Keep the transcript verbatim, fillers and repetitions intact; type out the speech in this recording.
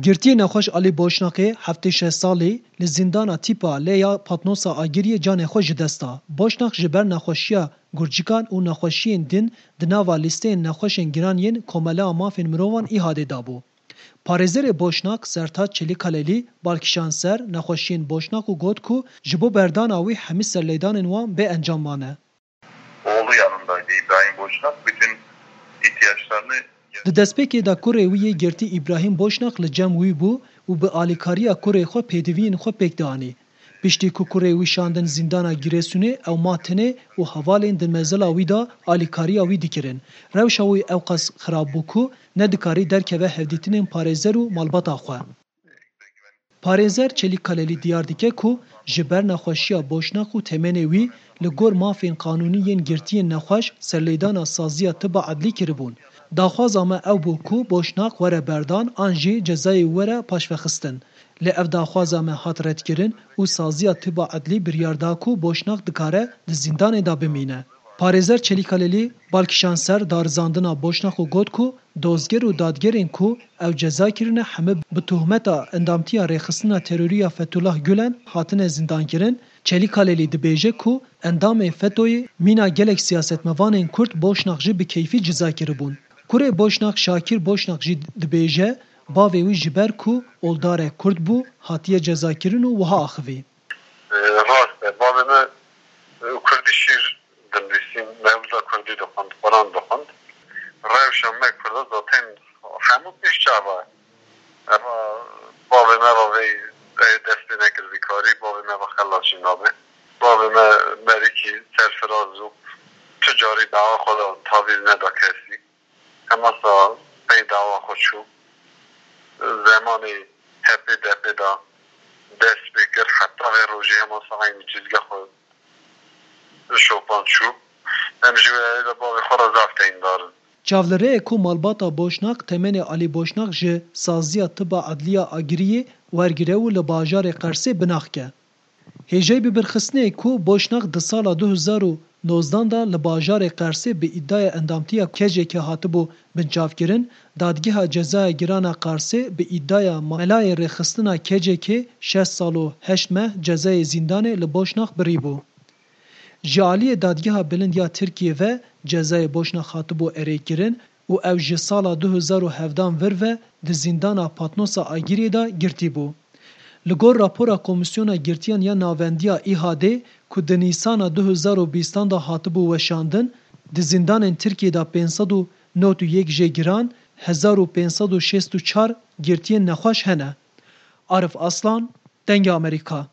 Girtiyê nexweş Alî Boşnaqê heftê şeş salî li zîndana tîpa lê ya Patnosa Agiriyê canê xwe ji dest da. Boşnaq ji ber nexweşiya gurcikan û nexweşiyên din di nava lîsteyên nexweşên giran yên Komeleya Mafên Mirovan îhadê dabû. Parêzerê Boşnaq Sertaç Çelîkalelî bal kişand ser nexweşiyên Boşnaq û got ku ji bo berdana wî hemî serlêdanên wan bê encam mane. Oğlu yanındaydı İbrahim Boşnak. Bütün ihtiyaçlarını Di destpêkê de kurê wî yê girtî Îbrahîm Boşnak li cem wî bû û bi alîkariya kurê xwe pêdiviyên xwe pêk dianî. Piştî ku kurê wî şandin zîndana Girêsûnê, ew ma tenê û hevalên di mezela wî de alîkariya wî dikirin. Rewşa wî ewqas xirab bû ku nedikarî derkeve hevdîtinên parêzer û malbata xwe. Parêzer Çelîk Kalelî diyar dike ku ji ber nexweşiya Boşnak û temenê wî li gor mafên qanûnî yên girtiyên nexweş serlêdana saziya tiba edlî kiribûn. Daxwaza me ew bû ku Boşnak were berdan an jî cezayê wî were paşvexistin. Lê ev daxwaza me hat redkirin û saziya tiba edlî biryar da ku Boşnak dikare di zîndanê de bimîne. Parêzer Çelîkalelî bal kişand ser darizandina Boşnak û got ku dozger û dadgerên ku ew ceza kirine heme bi tohmeta endamtiya rêxistina terorî ya Fethullah Gulen hatine zîndankirin. Çelîkalelî dibêje ku endamê fetoyê mîna gelek siyasetmevanên Kurd Boşnak jî bi keyfî ceza kiribûn. Kurê Boşnak Şakîr Boşnak jî dibêje bavê wî ji ber ku oldarek Kurd bû hatiye cezakirin û wiha axivî. Rast e, bavê me, e, Kurdî şîr dinivîsîn, mewlida Kurdî dixwend, Quran dixwend. Rewşa me Kurda zaten hemû pêş çava. Eva bavê me va vê, ê dest pê nekir vî karî, bavê me va xelas jî nabe. Bavê me merikî serfiraz û tu carî dawa xwe da tavîz neda kesî. Hema sa pey dawa xwe çû. Zemanê H P D P de dest pê kir, heta vê rojê hema sa eynî cizge xwe şopan çû. Em ji wê de bavê xwe re zaf teyndar in. Çav li rê ye ku malbata Boşnak temenê Alî Boşnak ji saziya tiba edliya Agiriyê wergire û li bajarê Qersê binaxke. Hêjayî bibirxistinê ku Boşnak di sala du hezar û nozdan de li bajarê Qersê bi îdaya endamtiya K C K hatibû binçavkirin, Dadgeha Cezaya Giran a Qersê bi îdaya melayê rêxistina K C K şeş sal û heşt meh cezayê zîndanê li Boşnak birîbû. Ji aliyê Dadgeha Bilind ya Tirkiyê ve cezayê Boşnak hatibû erêkirin û ew ji sala du hezar û hevdan vir ve di zîndana Patnosa Agiriyê de girtî bû. Li gor rapora Komîsyona Girtiyan ya Navendiya Îhadê ku di Nîsana du hezar û bîstan de hatibû weşandin, di zîndanên Tirkiyê de pênc sed û nod û yek jê giran, hezar û pênc sed û şêst û çar girtiyên nexweş hene. Arif Aslan, Dengê Amerîka.